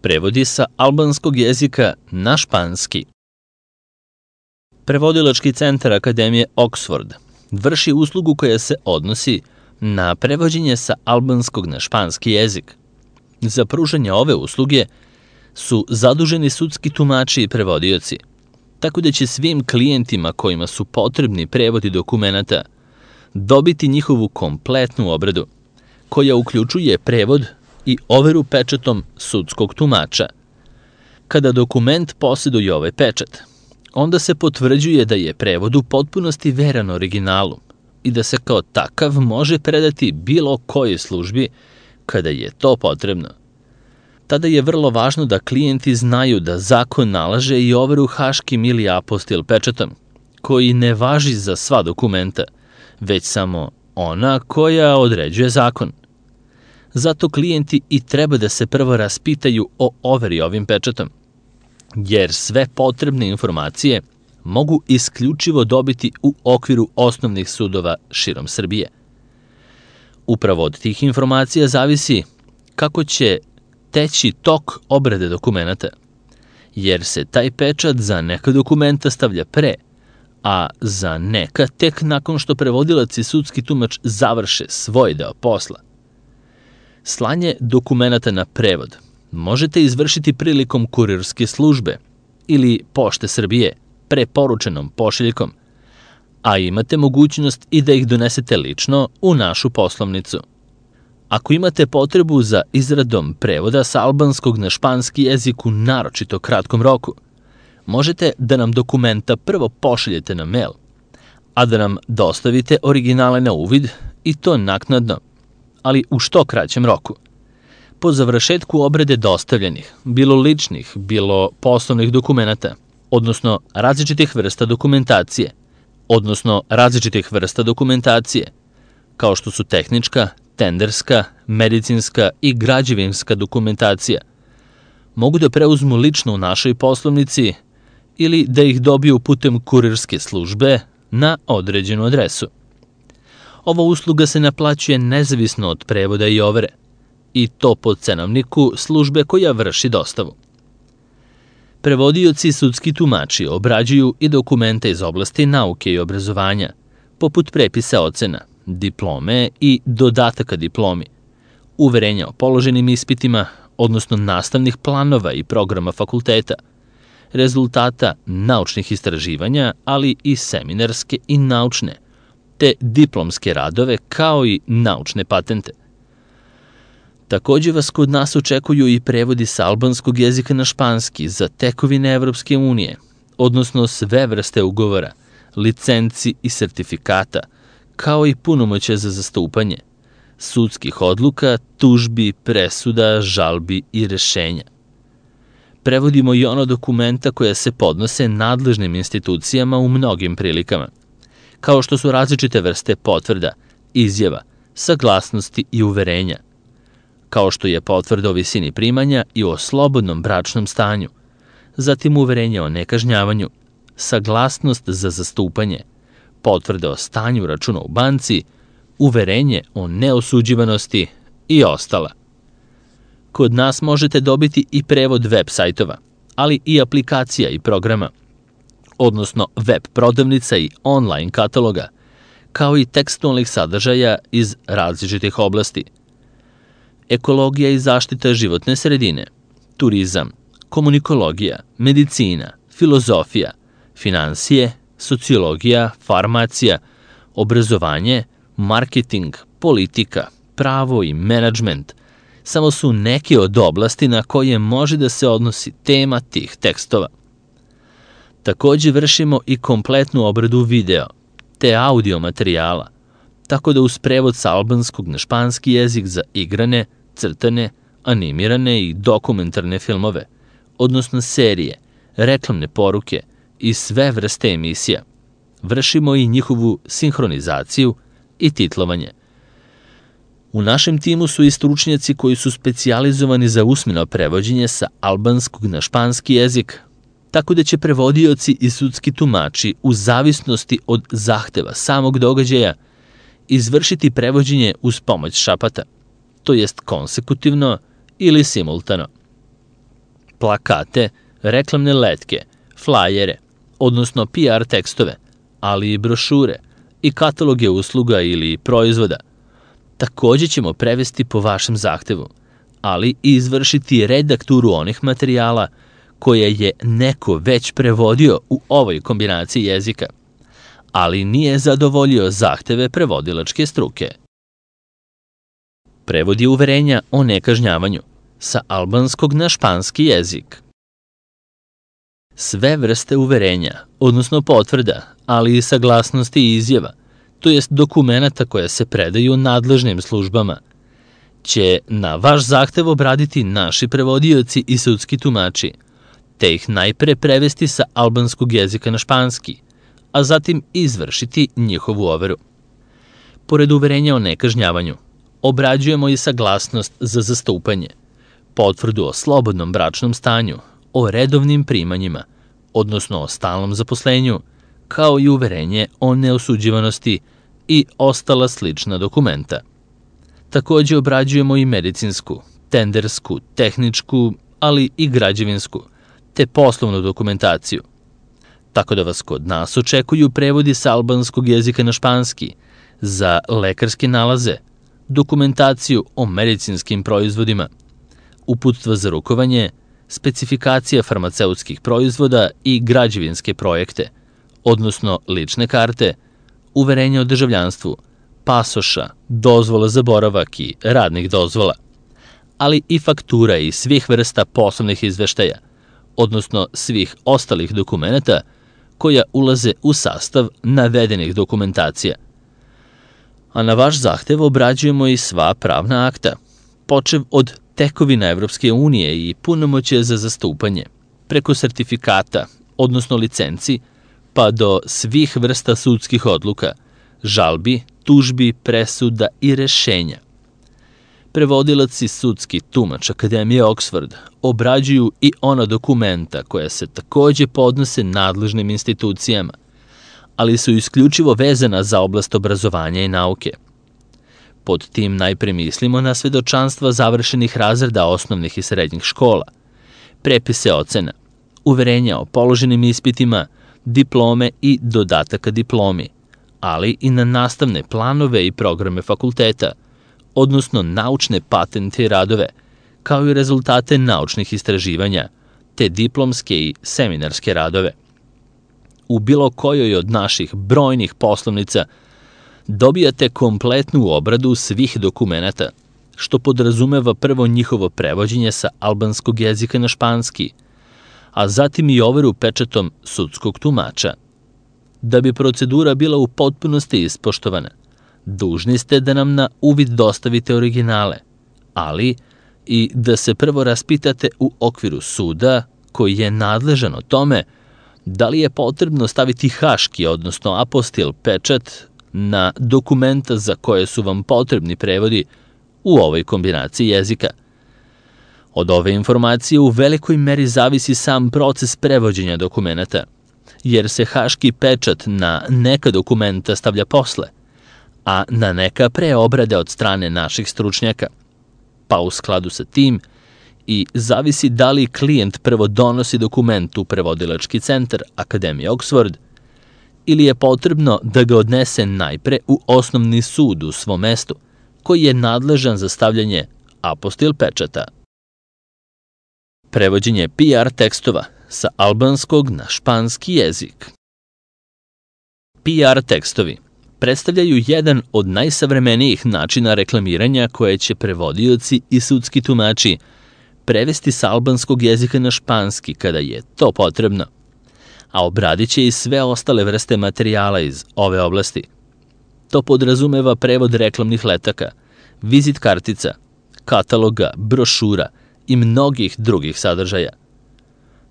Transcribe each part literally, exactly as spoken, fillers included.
Prevodi sa albanskog jezika na španski. Prevodilački centar Akademije Oxford vrši uslugu koja se odnosi na prevođenje sa albanskog na španski jezik. Za pružanje ove usluge su zaduženi sudski tumači i prevodioci, tako da će svim klijentima kojima su potrebni prevodi dokumenata dobiti njihovu kompletnu obradu, koja uključuje prevod i overu pečatom sudskog tumača. Kada dokument posjeduje ovaj pečat, onda se potvrđuje da je prevod u potpunosti veran originalu i da se kao takav može predati bilo kojoj službi kada je to potrebno. Tada je vrlo važno da klijenti znaju da zakon nalaže i overu haškim ili apostil pečatom, koji ne važi za sva dokumenta, već samo ona koja određuje zakon. Zato klijenti i treba da se prvo raspitaju o overi ovim pečatom, jer sve potrebne informacije mogu isključivo dobiti u okviru osnovnih sudova širom Srbije. Upravo od tih informacija zavisi kako će teći tok obrade dokumenta, jer se taj pečat za neka dokumenta stavlja pre, a za neka tek nakon što prevodilac i sudski tumač završe svoj deo posla. Slanje dokumenata na prevod možete izvršiti prilikom kurirske službe ili Pošte Srbije preporučenom pošiljkom, a imate mogućnost i da ih donesete lično u našu poslovnicu. Ako imate potrebu za izradom prevoda sa albanskog na španski jezik u naročito kratkom roku, možete da nam dokumenta prvo pošaljete na mail, a da nam dostavite originale na uvid i to naknadno, ali u što kraćem roku. Po završetku obrade dostavljenih, bilo ličnih, bilo poslovnih dokumenata, odnosno različitih vrsta dokumentacije, odnosno različitih vrsta dokumentacije, kao što su tehnička, tenderska, medicinska i građevinska dokumentacija, mogu da preuzmu lično u našoj poslovnici ili da ih dobiju putem kurirske službe na određenu adresu. Ova usluga se naplaćuje nezavisno od prevoda i overe, i to po cenovniku službe koja vrši dostavu. Prevodioci i sudski tumači obrađuju i dokumente iz oblasti nauke i obrazovanja, poput prepisa ocena, diplome i dodataka diplomi, uverenja o položenim ispitima, odnosno nastavnih planova i programa fakulteta, rezultata naučnih istraživanja, ali i seminarske i naučne, te diplomske radove kao i naučne patente. Takođe vas kod nas očekuju i prevodi sa albanskog jezika na španski za tekovine Evropske unije, odnosno sve vrste ugovora, licenci i sertifikata, kao i punomoćja za zastupanje, sudskih odluka, tužbi, presuda, žalbi i rešenja. Prevodimo i ono dokumenta koja se podnose nadležnim institucijama u mnogim prilikama, kao što su različite vrste potvrda, izjava, saglasnosti i uverenja, kao što je potvrda o visini primanja i o slobodnom bračnom stanju, zatim uverenje o nekažnjavanju, saglasnost za zastupanje, potvrda o stanju računa u banci, uverenje o neosuđivanosti i ostala. Kod nas možete dobiti i prevod web sajtova, ali i aplikacija i programa, odnosno web prodavnica i online kataloga, kao i tekstualnih sadržaja iz različitih oblasti. Ekologija i zaštita životne sredine, turizam, komunikologija, medicina, filozofija, finansije, sociologija, farmacija, obrazovanje, marketing, politika, pravo i menadžment samo su neke od oblasti na koje može da se odnosi tema tih tekstova. Takođe vršimo i kompletnu obradu video te audio materijala, tako da uz prevod sa albanskog na španski jezik za igrane, crtane, animirane i dokumentarne filmove, odnosno serije, reklamne poruke i sve vrste emisija, vršimo i njihovu sinhronizaciju i titlovanje. U našem timu su i stručnjaci koji su specijalizovani za usmeno prevođenje sa albanskog na španski jezik, tako da će prevodioci i sudski tumači u zavisnosti od zahteva samog događaja izvršiti prevođenje uz pomoć šapata, to jest konsekutivno ili simultano. plakate, reklamne letke, flajere, odnosno P R tekstove, ali i brošure i kataloge usluga ili proizvoda. Takođe ćemo prevesti po vašem zahtevu, ali i izvršiti redakturu onih materijala koje je neko već prevodio u ovoj kombinaciji jezika, ali nije zadovoljio zahteve prevodilačke struke. Prevod je uverenja o nekažnjavanju sa albanskog na španski jezik. Sve vrste uverenja, odnosno potvrda, ali i saglasnosti i izjava, to jest dokumenata koje se predaju nadležnim službama, će na vaš zahtev obraditi naši prevodioci i sudski tumači, te ih najpre prevesti sa albanskog jezika na španski, a zatim izvršiti njihovu overu. Pored uverenja o nekažnjavanju, obrađujemo i saglasnost za zastupanje, potvrdu o slobodnom bračnom stanju, o redovnim primanjima, odnosno o stalnom zaposlenju, kao i uverenje o neosuđivanosti i ostala slična dokumenta. Takođe obrađujemo i medicinsku, tendersku, tehničku, ali i građevinsku, te poslovnu dokumentaciju. Tako da vas kod nas očekuju prevodi sa albanskog jezika na španski za lekarske nalaze, dokumentaciju o medicinskim proizvodima, uputstva za rukovanje, specifikacija farmaceutskih proizvoda i građevinske projekte, odnosno lične karte, uverenja o državljanstvu, pasoša, dozvola za boravak i radnih dozvola, ali i faktura i svih vrsta poslovnih izveštaja, odnosno svih ostalih dokumenata koja ulaze u sastav navedenih dokumentacija. A na vaš zahtev obrađujemo i sva pravna akta, počev od tekovina Evropske unije i punomoćje za zastupanje, preko sertifikata, odnosno licenci, pa do svih vrsta sudskih odluka, žalbi, tužbi, presuda i rešenja. Prevodilac i sudski tumač Akademije Oxford obrađuju i ona dokumenta koja se takođe podnose nadležnim institucijama, ali su isključivo vezana za oblast obrazovanja i nauke. Pod tim najpre mislimo na svedočanstva završenih razreda osnovnih i srednjih škola, prepise ocena, uverenja o položenim ispitima, diplome i dodataka diplomi, ali i na nastavne planove i programe fakulteta, odnosno naučne patente i radove, kao i rezultate naučnih istraživanja, te diplomske i seminarske radove. U bilo kojoj od naših brojnih poslovnica dobijate kompletnu obradu svih dokumenata, što podrazumeva prvo njihovo prevođenje sa albanskog jezika na španski, a zatim i overu pečatom sudskog tumača. Da bi procedura bila u potpunosti ispoštovana, dužni ste da nam na uvid dostavite originale, ali i da se prvo raspitate u okviru suda koji je nadležan o tome da li je potrebno staviti haški, odnosno apostil pečat na dokumenta za koje su vam potrebni prevodi u ovoj kombinaciji jezika. Od ove informacije u velikoj meri zavisi sam proces prevođenja dokumenta, jer se haški pečat na neka dokumenta stavlja posle, a na neka pre obrade od strane naših stručnjaka, pa u skladu sa tim i zavisi da li klijent prvo donosi dokument u prevodilački centar Akademije Oxford ili je potrebno da ga odnese najpre u osnovni sud u svom mestu, koji je nadležan za stavljanje apostil pečata. Prevođenje P R tekstova sa albanskog na španski jezik. P R tekstovi predstavljaju jedan od najsavremenijih načina reklamiranja koje će prevodioci i sudski tumači prevesti sa albanskog jezika na španski kada je to potrebno, a obradit će i sve ostale vrste materijala iz ove oblasti. To podrazumeva prevod reklamnih letaka, vizit kartica, kataloga, brošura i mnogih drugih sadržaja.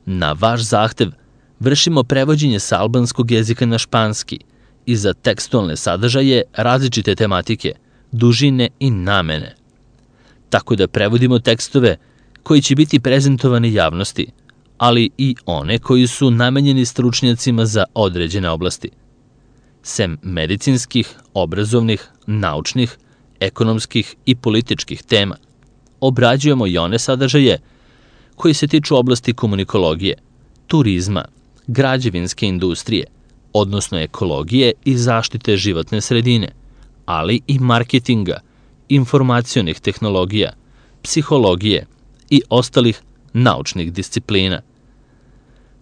Na vaš zahtev vršimo prevođenje sa albanskog jezika na španski i za tekstualne sadržaje različite tematike, dužine i namene. Tako da prevodimo tekstove koji će biti prezentovani javnosti, ali i one koji su namenjeni stručnjacima za određene oblasti. Sem medicinskih, obrazovnih, naučnih, ekonomskih i političkih tema, obrađujemo i one sadržaje koji se tiču oblasti komunikologije, turizma, građevinske industrije, odnosno ekologije i zaštite životne sredine, ali i marketinga, informacionih tehnologija, psihologije i ostalih naučnih disciplina.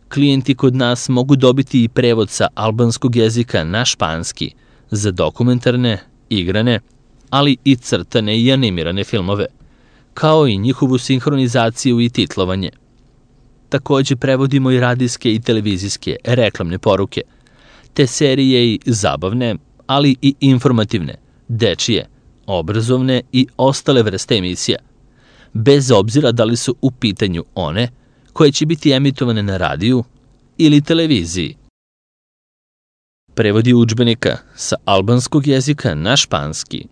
Klijenti kod nas mogu dobiti i prevod sa albanskog jezika na španski za dokumentarne, igrane, ali i crtane i animirane filmove, kao i njihovu sinhronizaciju i titlovanje. Takođe prevodimo i radijske i televizijske reklamne poruke, te serije i zabavne, ali i informativne, dečije, obrazovne i ostale vrste emisija, bez obzira da li su u pitanju one koje će biti emitovane na radiju ili televiziji. Prevodi udžbenika sa albanskog jezika na španski.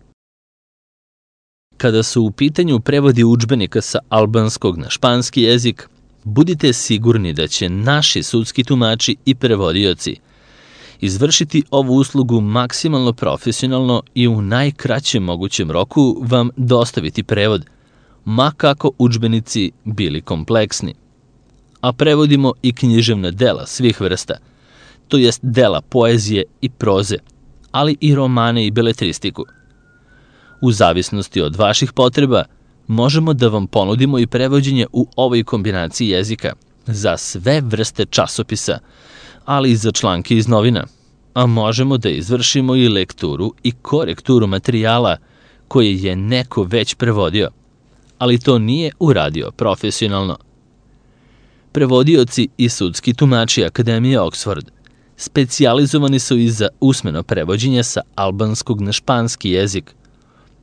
Kada su u pitanju prevodi udžbenika sa albanskog na španski jezik, budite sigurni da će naši sudski tumači i prevodioci izvršiti ovu uslugu maksimalno profesionalno i u najkraćem mogućem roku vam dostaviti prevod, ma kako udžbenici bili kompleksni. A prevodimo i književna dela svih vrsta, to jest dela poezije i proze, ali i romane i beletristiku. U zavisnosti od vaših potreba, možemo da vam ponudimo i prevođenje u ovoj kombinaciji jezika za sve vrste časopisa, ali i za članke iz novina, a možemo da izvršimo i lekturu i korekturu materijala koje je neko već prevodio, ali to nije uradio profesionalno. Prevodioci i sudski tumači Akademije Oxford specijalizovani su i za usmeno prevođenje sa albanskog na španski jezik,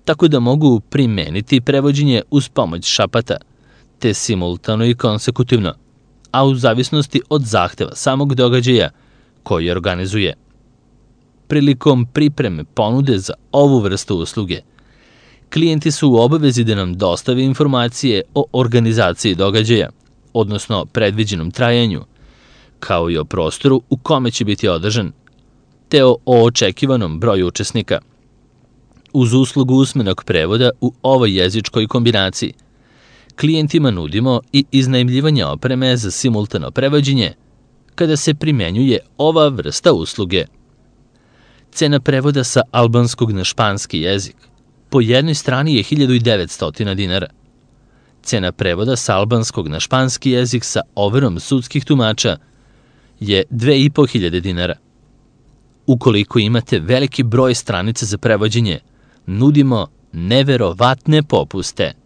tako da mogu primeniti prevođenje uz pomoć šapata, te simultano i konsekutivno, a u zavisnosti od zahteva samog događaja koji organizuje. Prilikom pripreme ponude za ovu vrstu usluge, klijenti su u obavezi da nam dostave informacije o organizaciji događaja, odnosno predviđenom trajanju, kao i o prostoru u kome će biti održan, te o očekivanom broju učesnika. Uz uslugu usmenog prevoda u ovoj jezičkoj kombinaciji, klijentima nudimo i iznajmljivanje opreme za simultano prevođenje kada se primenjuje ova vrsta usluge. Cena prevoda sa albanskog na španski jezik po jednoj strani je hiljadu devetsto dinara. Cena prevoda sa albanskog na španski jezik sa overom sudskih tumača je dve i po hiljade dinara. Ukoliko imate veliki broj stranica za prevođenje, nudimo neverovatne popuste.